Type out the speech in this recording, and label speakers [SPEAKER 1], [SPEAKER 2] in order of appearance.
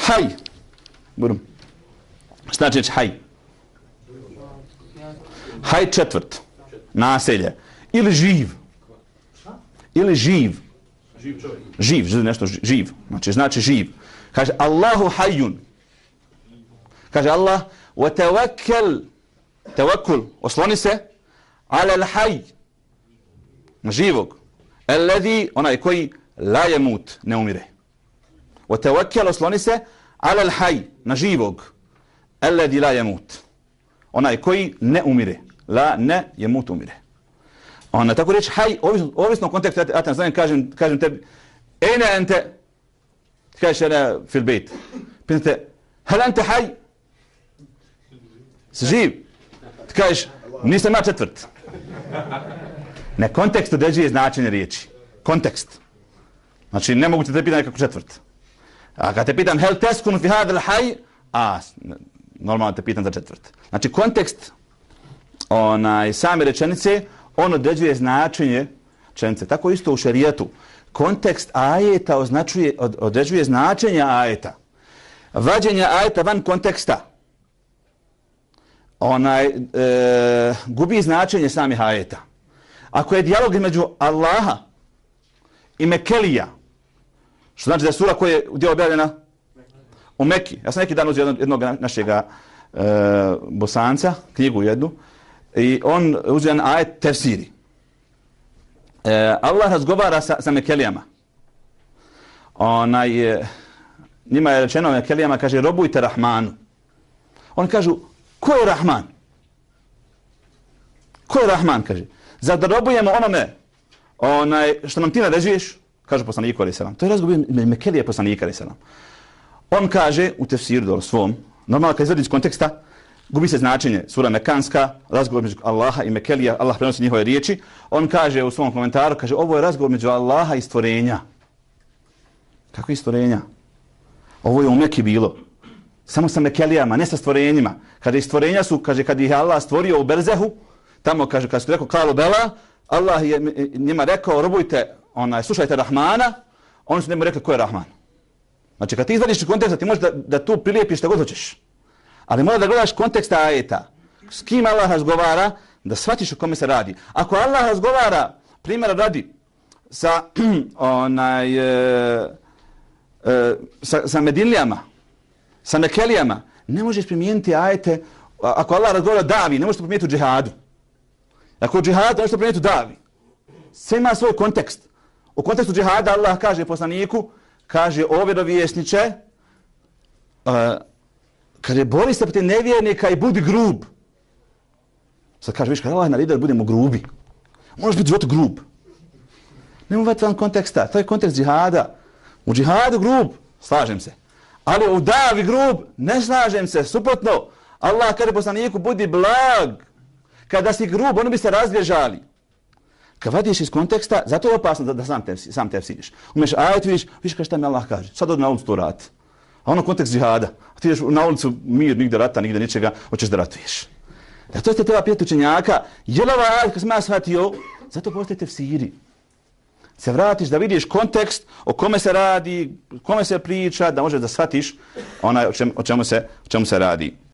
[SPEAKER 1] Haj. Burum. Šta znači haj? Haj četvrt. Naselje. Ili živ. Ili živ. Živ, nešto živ. Znači živ. Kaže Allahu hajjun. Kaže Allah wa tawakkal osloni se ala al-hayy na živog alladhi onaj koji la yamut ne umire. Wa tawakkal osloni se ala al-hayy na živog alladhi la yamut onaj koji ne umire. La ne yamut umire. Ona tako reći haj ovisno kontekstu ja te znam kažem tebi ene ente kažeš ana fil bejt pitate hal ente haj si živ ti kažeš nisam ja četvrt ne kontekst određuje značenje riječi kontekst znači ne mogu te pitam nekako četvrt a kad te pitam hel teskun fi hada al haj normalno te pitam za četvrt znači kontekst same rečenice on određuje značenje rečenice. Tako isto u šerijatu. Kontekst ajeta određuje značenje ajeta. Vađenje ajeta van konteksta gubi značenje samih ajeta. Ako je dijalog između Allaha i Mekelija, što znači da je sura koja je gdje objavljena u Meki. Ja sam neki dan uzeo jednog našeg Bosanca, knjigu jednu, i on uzeo jedan ajet tefsiri. Allah razgovara sa Mekelijama. Njima je rečeno Mekelijama, kaže, robujte Rahmanu. Oni kažu, ko je Rahman? Ko je Rahman, kaže? Zar da robujemo onome što nam ti naređuješ? Kaže poslaniku alejhi selam. To je razgovor Mekelija poslanika alejhi selam. On kaže u tefsiru svom, normalno kad izvadi iz konteksta, gubi se značenje. Sura Mekanska, razgovor među Allaha i Mekelija, Allah prenosi njihove riječi. On kaže u svom komentaru, kaže, ovo je razgovor među Allaha i stvorenja. Kako je stvorenja? Ovo je u Meki bilo. Samo sa Mekelijama, ne sa stvorenjima. Kada i stvorenja su, kaže, kad ih je Allah stvorio u Berzehu, tamo, kaže, kad su rekao Kalu Bela, Allah je njima rekao, robujte, slušajte Rahmana, oni su njemu rekli, ko je Rahman? Znači, kad ti izvadiš iz konteksta, ti možeš da tu prilijepiš što god hoćeš. Ali mora da gledaš konteksta ajeta. S kim Allah razgovara, da shvatiš o kome se radi. Ako Allah razgovara, primjera radi, sa Medinlijama, sa Mekelijama, ne možeš primijeniti ajete. Ako Allah razgovara davi, ne možeš primijeniti u džihadu. Ako u džihadu, ne možeš primijeniti u davi. Sve ima svoj kontekst. U kontekstu džihada Allah kaže poslaniku, kaže o vjerovjesniče, kaže bori se protiv nevjernika i budi grub. Sad kaže, viš, kada Allah naredio da budemo grubi, možeš biti život grub. Nemo uvati van konteksta, to je kontekst džihada. U džihadu grub, slažem se. Ali u davi grub, ne slažem se, suprotno. Allah kaže poslaniku, budi blag. Kada si grub, oni bi se razbježali. Kad vadiš iz konteksta, zato je opasno da sam tefsiriš. Umeš ajet, vidiš kada šta mi Allah kaže. Sad odi na ulicu to rati. A ono kontekst džihada. A ti ideš na ulicu, mir, nigde rata, nigde ničega, hoćeš da ratuješ. Da to ste treba pitati učenjaka, je li ovaj ajet kad sam ja shvatio, zato postoje tefsiri. Se vratiš da vidiš kontekst o kome se radi, o kome se priča, da možeš da shvatiš o čemu se radi.